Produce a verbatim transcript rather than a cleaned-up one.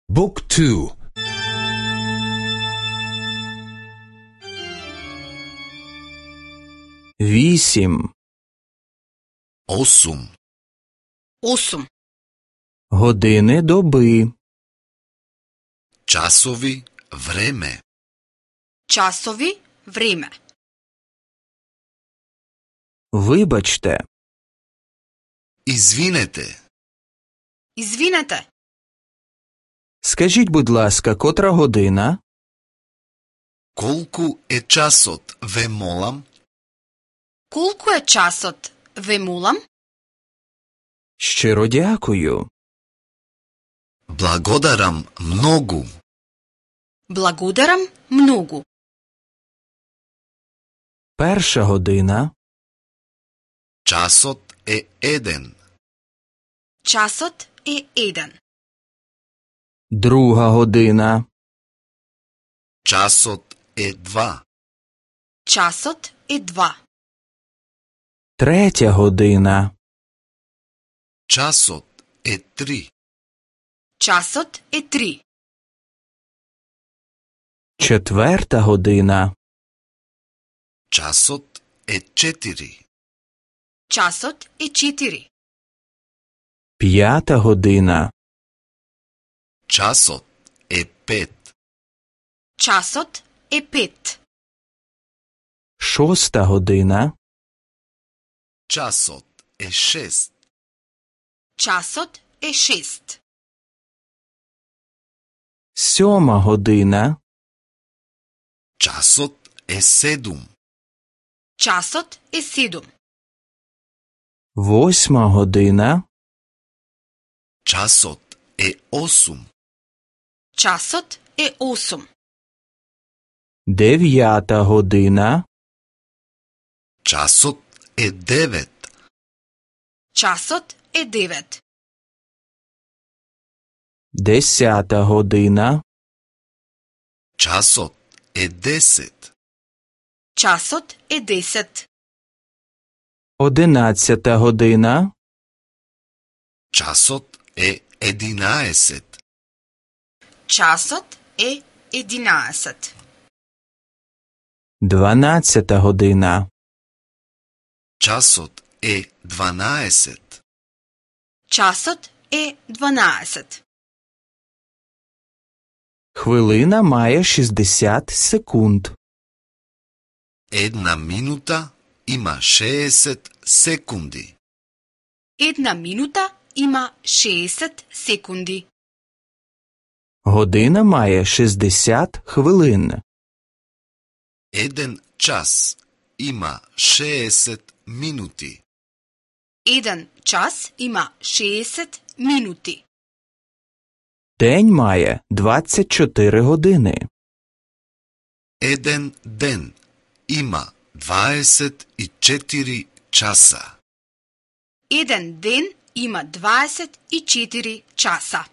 Book two. Вісім. Осум. Осум. Години доби. Часови време. Часови време. Вибачте. Извинете. Извинете. Скажіть, будь ласка, котра година? Колку е часот, ве молам? Колку е часот, ве молам? Щиро дякую. Благодарам многу. Благодарам многу. Перша година. Часот е еден. Часот е еден. Друга година. Часот е два. Часот е два. Третя година. Часот е три. Часот е три. Четверта година. Часот е четири. Часот е четири. П'ята година. Часот е пет. Часот е пет. Шоста година. Часот е шест. Часот е шест. Сьома година. Часот е седум. Часот е седум. Восьма година. Часот е осум. Часот е осум. Дев'ята година. Часот е девет. Часот е девет. Десята година. Часот е десет. Часот е десет. Одинадцята година. Часот е единаесет. Часот е единаесет. Дванадцята година. Часот е дванаесет. Часот е дванаесет. Хвилина має шістдесят секунд. Една минута има шеесет секунди. Една минута има шеесет секунди. Година має шістдесят хвилин. Еден час има шеесет минути. Еден час има шеесет минути. День має двадцять чотири години. Еден ден има дваесет и четири часа. Еден ден има дваесет и четири часа.